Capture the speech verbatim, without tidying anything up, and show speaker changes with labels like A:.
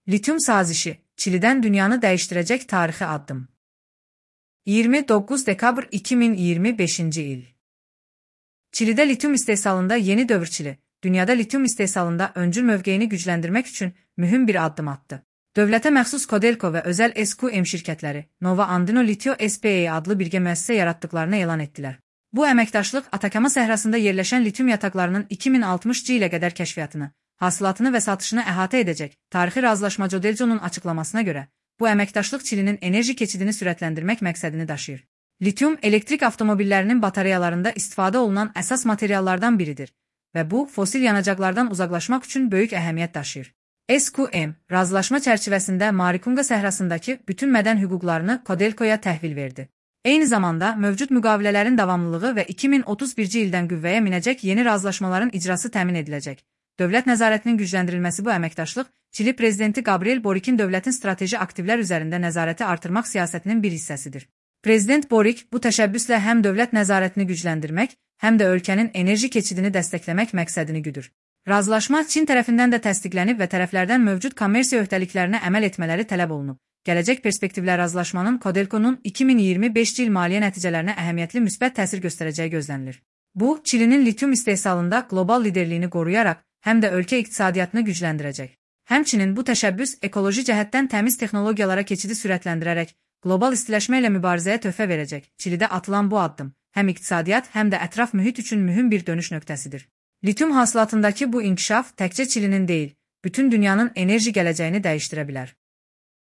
A: Lityum sazişi, Çili'den dünyanı değiştirecek tarihi adım. yirmi dokuz dekabr iki min iyirmi beşinci il. Çili'de lityum istehsalında yeni dövr Çili, dünyada lityum istehsalında öncül mövqeyini gücləndirmək üçün mühüm bir addım attı. Dövlətə məxsus Codelco və özəl S Q M şirkətləri Nova Andino Litio S P A adlı birgə müəssisə yaratdıklarını elan etdilər. Bu əməkdaşlıq Atakama səhrasında yerləşən lityum yataqlarının iki min altmışıncı ilə qədər kəşfiyyatını, hasılatını və satışını əhatə edəcək. Tarixi razılaşma Codelco'nun açıqlamasına görə, bu əməkdaşlıq Çilinin enerji keçidini sürətləndirmək məqsədini daşıyır. Lityum elektrik avtomobillərinin batareyalarında istifadə olunan əsas materiallardan biridir və bu, fosil yanacaqlardan uzaqlaşmaq üçün böyük əhəmiyyət daşıyır. S Q M, razılaşma çərçivəsində Marikunga səhrasındakı bütün mədən hüquqlarını Codelco'ya təhvil verdi. Eyni zamanda, mövcud müqavilələrin davamlılığı və iki min otuz birinci ildən qüvvəyə minəcək yeni razılaşmaların icrası təmin ediləcək. Dövlət nəzarətinin gücləndirilməsi bu əməkdaşlıq, Çili prezidenti Gabriel Borik'in dövlətin strateji aktivlər üzərində nəzarəti artırmaq siyasətinin bir hissəsidir. Prezident Borik bu təşəbbüslə həm dövlət nəzarətini gücləndirmək, həm də ölkənin enerji keçidini dəstəkləmək məqsədini güdür. Razılaşma Çin tərəfindən də təsdiqlənib və tərəflərdən mövcud kommersiya öhdəliklərinə əməl etmələri tələb olunub. Gələcək perspektivlər razılaşmanın Codelco'nun iki min iyirmi beşinci il maliyyə nəticələrinə əhəmiyyətli müsbət təsir göstərəcəyi gözlənilir. Bu, Çilinin lityum istehsalında qlobal liderliyini qoruyaraq, həm də ölkə iqtisadiyyatını gücləndirəcək. Həmçinin bu təşəbbüs ekoloji cəhətdən təmiz texnologiyalara keçidi sürətləndirərək, qlobal istiləşmə ilə mübarizəyə töhfə verəcək. Çilidə atılan bu addım, həm iqtisadiyyat, həm də ətraf mühit üçün mühüm bir dönüş nöqtəsidir. Lityum hasilatındakı bu inkişaf təkcə Çilinin deyil, bütün dünyanın enerji gələcəyini dəyişdirə bilər.